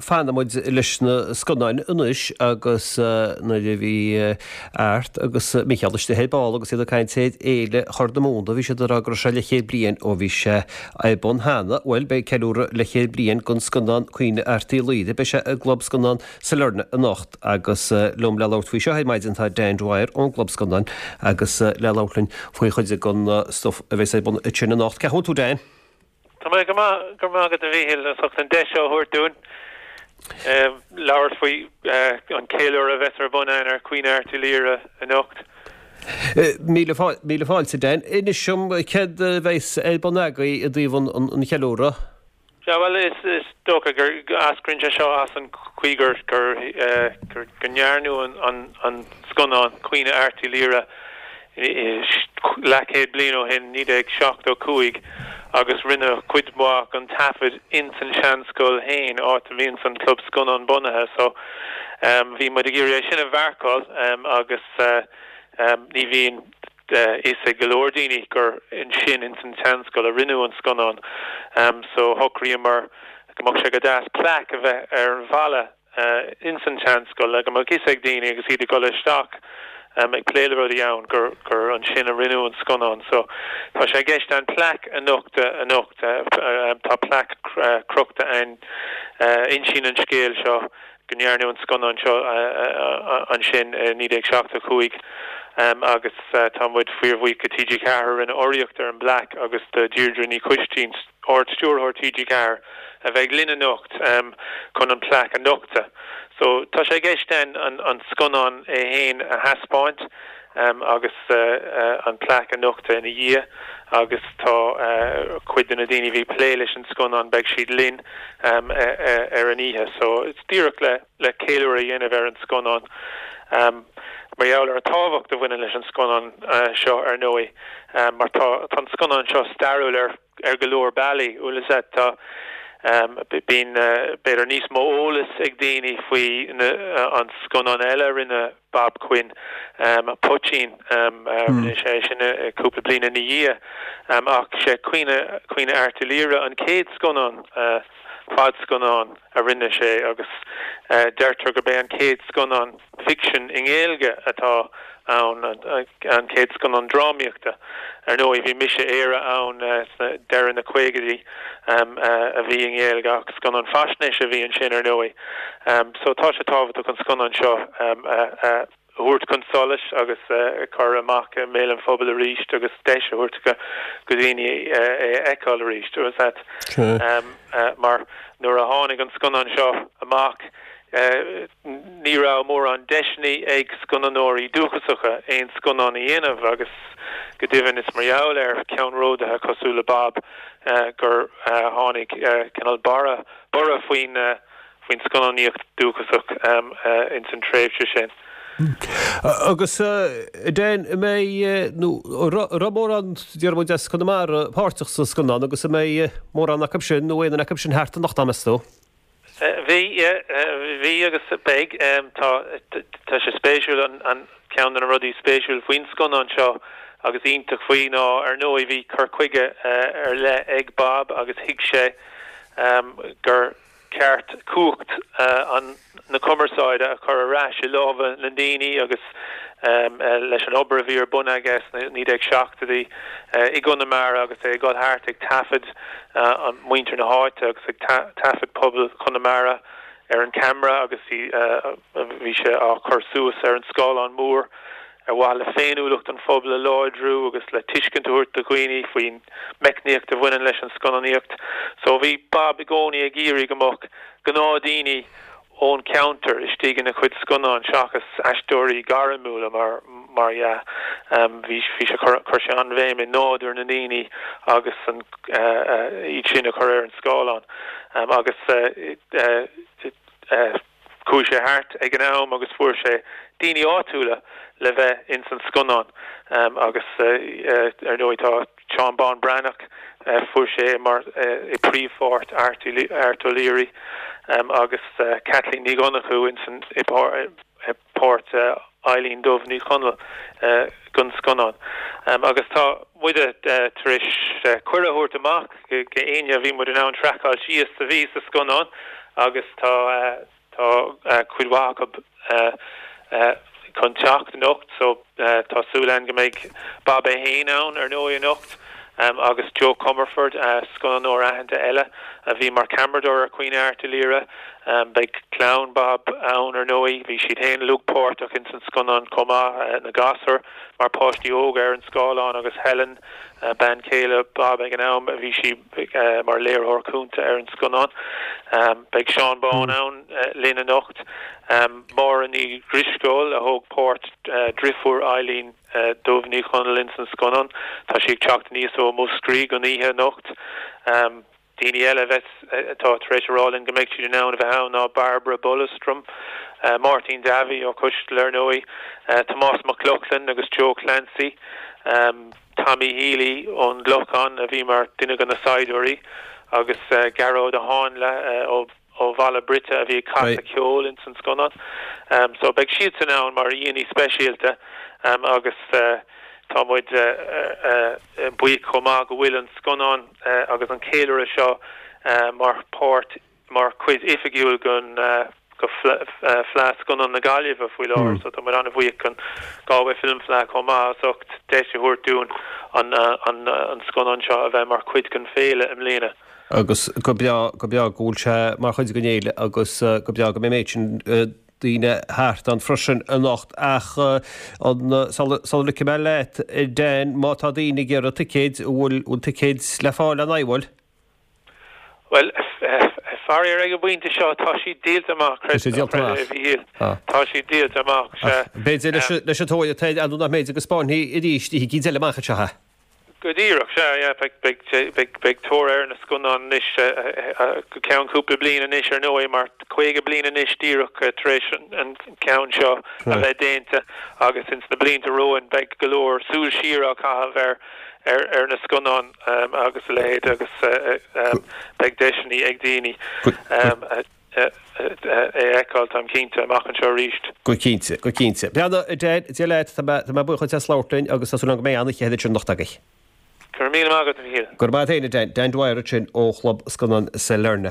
fanfaidh muid leis na scannáin anois agus nuair a bhí Art agus Micheál istigh ar ball agus iad ag caint ar Fhéile Chorr na Móna, bhí siad ag rá go raibh sé leathchéad bliain ó bhí sé ar bun cheana. Bhuel, beidh ceiliúradh leathchéad bliain den scannán Caoineadh Airt Uí Laoghaire, beidh sé i gClub Scannán Sailearna anocht agus liom le labhairt faoi seo ar maidin tá Dan Dwyer ón gClub Scannán agus le labhairt linn faoi chuid den stuif a bheas ar bun ansin anocht. Cén chaoi a bhfuil tú Dan? Tá mé go maith, go raibh maith agat a Mhíchíl as ucht an deis seo a thabhairt dúinn labhairt faoi an ceiliúradh a bheas ar bun againn ar Caoineadh Airt Uí Laoghaire anocht. Míle fáilte Dan. Inis dom céard a bheas ar bun agaibh i dtaobh an cheiliúradh? Sea, bhuel, is dócha gur eascraíonn sé seo as an chaoi gur, gur, go ndearnadh an scannán Caoineadh Airt Uí Laoghaire leathchéad bliain ó shin, 1975, agus rinneadh cuid mhaith den taifead ins an seanscoil féin, áit a mbíonns an Club Scannán bunaithe. So, bhí muid ag iarraidh é sin a mharcáil agus ní bhíonn. fhios ag go leor daoine gur ansin ins an tseanscoil a rinneadh an scannán so shocraíomar go mbeadh sé go deas plaic a bheith ar an bhalla ins an tseanscoil le go mbeadh fhios ag daoine agus iad ag dul isteach ag plé le rudaí ann gur gur ansin a rinneadh an scannán so tá sé i gceist an plaic a nochtadh anocht tá plaic crochta ann a insíonn an scéal seo go ndearnadh an scannán seo ansin i 1975 agus tá muid fíorbhuíoch do TG4 a rinne urraíocht ar an bplaic agus do Deirdre Ní Choistín, Ard-Stiúrthóir TG4, a bheidh linn anocht chun an plaic a nochtadh. So tá sé i gceist againn an scannán é féin a thaispeáint agus an plaic a nochtadh ina dhiaidh agus tá cuid de na daoine a bhí ag plé leis an scannán, beidh siad linn ar an oíche. So it's díreach le le ceiliúradh a dhéanamh ar an scannán mar gheall ar an tábhacht a bhaineann leis an scannán seo ar ndóigh mar tá tá an scannán seo stairiúil ar ar go leor bealaí. Bhfuil fhios a'd tá bíonn b'fhéidir níos mó eolas ag daoine faoi an scannán eile a rinne Bob Quinn, Poitín, rinne sé sin cúpla bliain ina dhiaidh. Ach sé Caoineadh, Caoineadh Airt Uí Laoghaire an chéad scannán, fadscannán a rinne sé agus deirtear gurb é an chéad scannán ficsin i nGaeilge atá ann, an chéad scannán drámaíochta. Ar ndóigh bhí Mise Éire ann sna deireadh na caogaidí a bhí i nGaeilge ach scannán faisnéise a bhí ansin ar ndóigh. So tá sé tábhachtach an scannán seo a thabhairt chun solais agus a chur amach i mbéal an phobail arís agus deis a thabhairt do dhaoine é a fheiceáil arís. Mar nuair a tháinig an scannán seo amach Ní raibh mórán deiseanna ag scannánóirí dúchasacha aon scannán a dhéanamh agus go deimhin is mar gheall ar cheannródaithe cosúil le Bob gur tháinig cineál borradh faoin faoin scannánaíocht dúchasach ins an tréimhse sin. Agus Dan, an mbeidh, nó an raibh mórán, déarfaidh muid, as Conamara páirteach sa scannán agus an mbeidh mórán acu sin nó aon duine acu sin thart anocht, meas tú? Bhí, bhí agus beidh. Tá, tá sé spéisiúil, an ceann de na rudaí spéisiúil faoin scannán seo agus iontach faoi ná, ar ndóigh, bhí cur chuige ar leith ag Bob agus thuig sé gur ceart cumhacht an, na cumarsáide a chur ar ais i lámha na ndaoine agus leis an obair a bhí ar bun aige sna 1970idí i gConamara agus é ag dul thart ag taifead muintir na háite agus ag taifead pobal Chonamara ar an cheamara agus bhí sé á chur suas ar an scáileán mór ar mhaithe le féiniúlacht an phobail a láidriú agus le tuiscint a thabhairt do dhaoine faoin meicníocht a bhaineann leis an scannánaíocht. So bhí Bob i gcónaí ag iarraidh go mbeadh gnáthdhaoine ón cheantar istigh ina chuid scannán seachas aisteoirí gairmiúla mar mar dhea. Bhí bhí sé chuir chuir sé an-bhéim i nádúr na ndaoine agus an iad sin a chur ar an scáileán agus chuaigh sé thart ag an am agus fuair sé daoine áitiúla le bheith ins an scannán agus ar ndóigh tá Seán Bán Breathnach, fuair sé é mar i príomhpháirt Art Art O'Leary agus Caitlín Ní Dhonnchú ins an i páirt Eilín Dubh Ní Chonaill don scannán. Agus tá muide tar éis cuireadh a thabhairt amach go éinne a bhí muid in ann traiceáil síos a bhí sa scannán. agus tá tá cuid mhaith acu chun teacht anocht so tá súil againn go mbeidh Bob é fhéin ann ar ndóigh anocht agus Joe Comerford, scannánóir aitheanta eile a bhí mar cheamaradóir ar Caoineadh Airt Uí Laoire. Beidh clann Bob ann ar ndóigh, bhí siad fhéin uilig páirteach ins an scannán chomh maith, na gasúir mar páistí óga ar an scáileán agus Helen, bean chéile Bob ag an am, bhí sí mar léiritheoir cúnta ar an scannán. Beidh Seán Bán ann linn anocht. Máire Ní Dhrisceoil a thóg páirt driofúr Eilín Dubh Ní Chonaill ins an scannán. Tá sí ag teacht aníos ó Mhúscraí don oíche anocht. Daoine eile a bheas, atá tar éis a rá linn go mbeidh siad in ann a bheith ann ná Barbara Ballestrem, Máirtín Davy ó Coisdealbha ar ndóigh, Tomás Mac Lochlainn agus Joe Clancy, Tommy Healy ón gClochán a bhí mar duine de na saighdiúirí agus Gearóid Ó Háinle ó ó Bhaile Brite a bhí ag casadh ceoil ins an scannán. So beidh siadsan ann mar aíonna speisialta agus tá muid buíoch chomh maith go bhfuil an scannán agus an ceiliúradh seo mar pháirt, mar chuid oifigiúil den Fleadh Scannán na Gaillimhe faoi láthair. So tá muid an-bhuíoch den Galway Film Fleadh chomh maith as ucht deis a thabhairt dúinn an scannán seo a bheith mar chuid den féile i mbliana. agus go breá, go breá go bhfuil sé mar chuid den fhéile agus go breá go mbeidh an méid sin daoine thart ann freisin anocht. Ach an, sula ligfidh mé leat, Dan, má tá daoine ag iarraidh ticéid, an bhfuil, bhfuil ticéid le fáil an bhfuil? Bhuel, faraor ag an bpointe seo tá siad díolta amach, Tá siad díolta amach. a Mhíchíl. Tá siad díolta amach, sea. B'fhéidir leis an tóir atá air, nó nach mb'fhéidir go spáinfí arís oíche eicínt eile amach anseo é. Go díreach, sea, yeah, beidh, beidh, beidh tóir ar na scannáin anois go ceann cúpla bliain anois ar ndóigh mar 50 bliain anois díreach tar éis an ceann seo a bheith déanta agus ins na blianta romhainn beidh go leor súil siar á caitheamh ar, ar, ar na scannáin agus a leithéid agus beidh deiseanna ag daoine. É a fheiceáil, táim cinnte, amach anseo arís. Go cinnte, go cinnte. Breathnaigh, a Dan, Dia leat, tá mé, tá mé buíoch duit as labhairt linn agus tá súil agam go mbeidh an-oíche ansin anocht agaibh. Go raibh míle maith agat, a Mhíchíl. Go raibh maith agat féin, a Dan. Dan Dwyer ansin ó Chlub Scannán Sailearna.